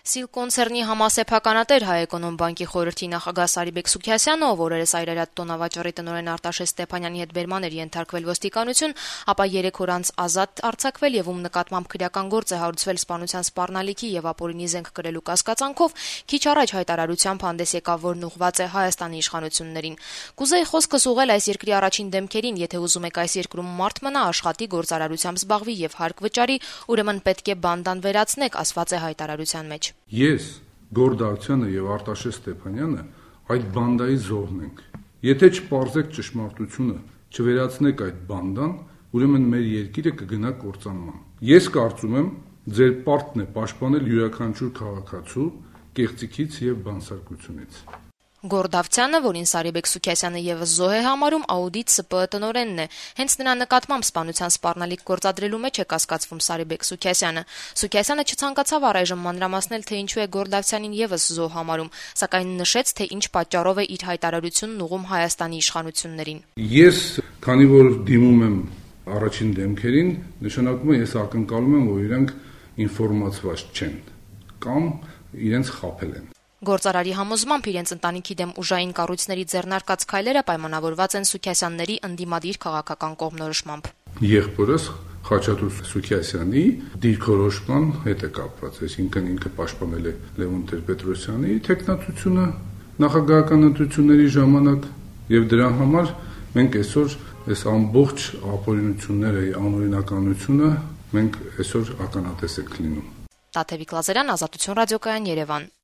Սիլ կոնցեռնի համասեփականատեր Հայ-Էկոնոմբանկի խորհրդի նախագահ Սարիբեկ Սուքիասյանը, ով օրերս Այրարատ տոնավաճառի տնօրեն Արտաշես Ստեփանյանի հետ բերման էր ենթարկվել ոստիկանություն, ապա 3 օր անց ազատ արձակվել եւ ում նկատմամբ քրեական գործ է հարուցվել սպանության սպառնալիքի եւ ապօրինի զենք կրելու կասկածանքով, քիչ առաջ հայտարարությամբ հանդես եկավ, որն ուղղված է Հայաստանի իշխանություններին։ Կուզեի խոսքս ուղղել այս երկրի առաջին դեմքերին, եթե ուզում եք այս երկրում մարդ մնա, աշխատի, գործարարությամբ զբաղվի եւ հարկ վճարի, ուրեմն պետք է բանդան վերացնեք, ասված է հայտարարության մեջ։ Ես, Գորդարցյանը եւ Արտաշես Ստեփանյանը այդ բանդայի զոհն ենք։ Եթե չպարզեք ճշմարտությունը, չվերացնեք այդ բանդան, ուրեմն մեր երկիրը կգնա կործանման։ Ես կարծում եմ, ձեր պարտքն է պաշտպանել յուրաքանչյուր քաղաքացու կեղծիքից եւ բանսարկությունից։ Գորդավցյանը, որին Սարիբեկ Սուքիասյանը եւս զոհ է համարում, Աուդիտ ՍՊԸ տնօրենն է։ Հենց նրա նկատմամբ սպանության սպառնալիք գործադրելու մեջ է կասկածվում Սարիբեկ Սուքիասյանը։ Սուքիասյանը չցանկացավ առայժմ մանրամասնել, թե ինչու է Գորդավցյանին եւս զոհ համարում, սակայն նշեց, թե ինչ պատճառով է իր հայտարարությունն ուղղում Հայաստանի իշխանություններին։ Ես, քանի որ դիմում եմ առաջին դեմքերին, նշանակում է ես ակնկալում եմ, որ իրենք ինֆորմացված չեն կամ իրենց խաբել են։ Գործարարի համոզմամբ իրենց ընտանիքի դեմ ուժային կառույցների ձեռնարկած քայլերը պայմանավորված են Սուքիասյանների ընդդիմադիր քաղաքական կողմնորոշմամբ։ Եղբորս Խաչատուր Սուքիասյանի դիրքորոշման հետ է կապված, այսինքն ինքը պաշտպանել է Լևոն Տեր-Պետրոսյանի թեկնածությունը նախագահական ընտրությունների ժամանակ եւ դրա համար մենք այսօր այս ամբողջ ապօրինությունները, անօրինականությունը մենք այսօր ականատես ենք լինում։ Տաթևիկ Լազարյան, Ազատություն ռադիոկայան, Երևան։